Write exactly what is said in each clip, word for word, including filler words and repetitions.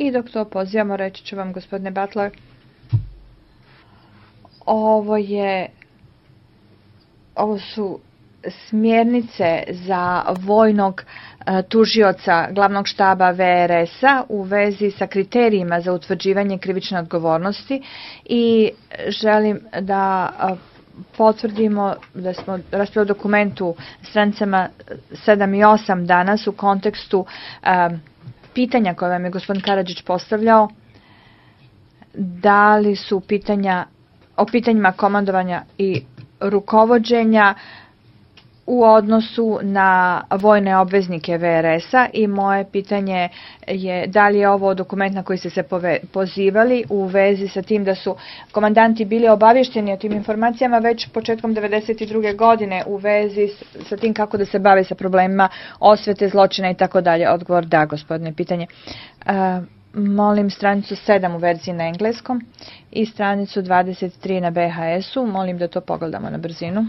I dok to pozivamo, reći ću vam, gospodine Butler, ovo je, ovo su smjernice za vojnog tužioca glavnog štaba V R S-a u vezi sa kriterijima za utvrđivanje krivične odgovornosti i želim da potvrdimo da smo raspravili o dokumentu stranicama sedam i osam danas u kontekstu um, pitanja koje vam je gospodin Karadžić postavljao, da li su pitanja o pitanjima komandovanja i rukovođenja u odnosu na vojne obveznike V R S-a i moje pitanje je da li je ovo dokument na koji ste se pozivali u vezi sa tim da su komandanti bili obavješteni o tim informacijama već početkom devedeset druge godine u vezi sa tim kako da se bave sa problemima osvete, zločina i tako dalje. Odgovor da, gospodine, pitanje. Uh, molim stranicu sedam u verziji na engleskom i stranicu dvadeset tri na B H S-u. Molim da to pogledamo na brzinu.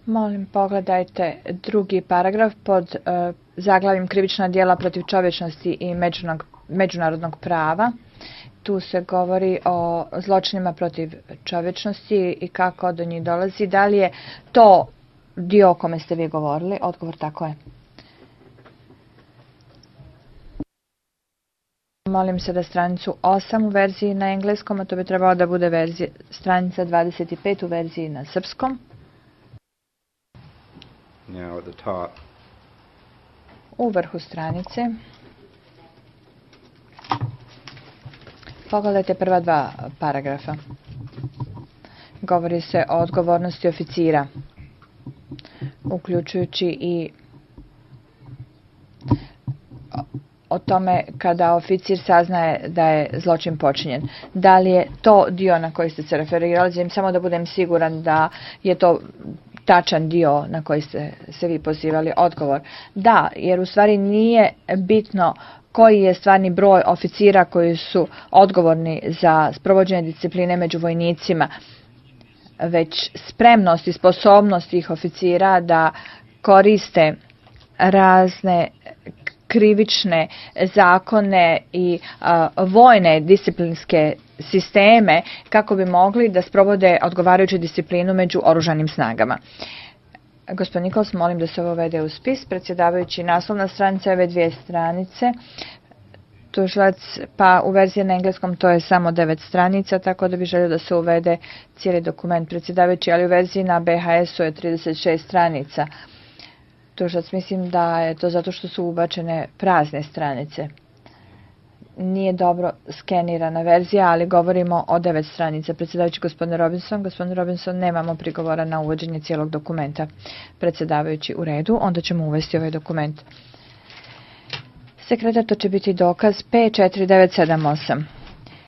Molim, pogledajte drugi paragraf pod uh, zaglavim krivična djela protiv čovječnosti i međunarodnog prava. Tu se govori o zločinima protiv čovječnosti i kako do njih dolazi. Da li je to dio o kome ste vi govorili? Odgovor tako je. Molim se da stranicu osam u verziji na engleskom, a to bi trebalo da bude verzija, stranica dvadeset pet u verziji na srpskom. Now at the top. U vrhu stranice. Pogledajte prva dva paragrafa. Govori se o odgovornosti oficira, uključujući i o tome kada oficir saznaje da je zločin počinjen. Da li je to dio na koji ste se referirali? Želim samo da budem siguran da je to tačan dio na koji ste se vi pozivali. Odgovor. Da, jer u stvari nije bitno koji je stvarni broj oficira koji su odgovorni za sprovođenje discipline među vojnicima, već spremnost i sposobnost tih oficira da koriste razne krivične zakone i a, vojne disciplinske sisteme kako bi mogli da sprovode odgovarajuću disciplinu među oružanim snagama. Gospodin Nikols, molim da se ovo vede u spis. Predsjedavajući, naslovna stranica ove dvije stranice. Tužilac, pa u verziji na engleskom to je samo devet stranica, tako da bi želio da se uvede cijeli dokument. Predsjedavajući, ali u verziji na B H S-u je trideset šest stranica. Tužilac, mislim da je to zato što su ubačene prazne stranice. Nije dobro skenirana verzija, ali govorimo o devet stranica. Predsjedavajući, gospodine Robinson, gospodine Robinson, nemamo prigovora na uvođenje cijelog dokumenta. Predsjedavajući, u redu, onda ćemo uvesti ovaj dokument. Sekretar, to će biti dokaz P četiri devet sedam osam.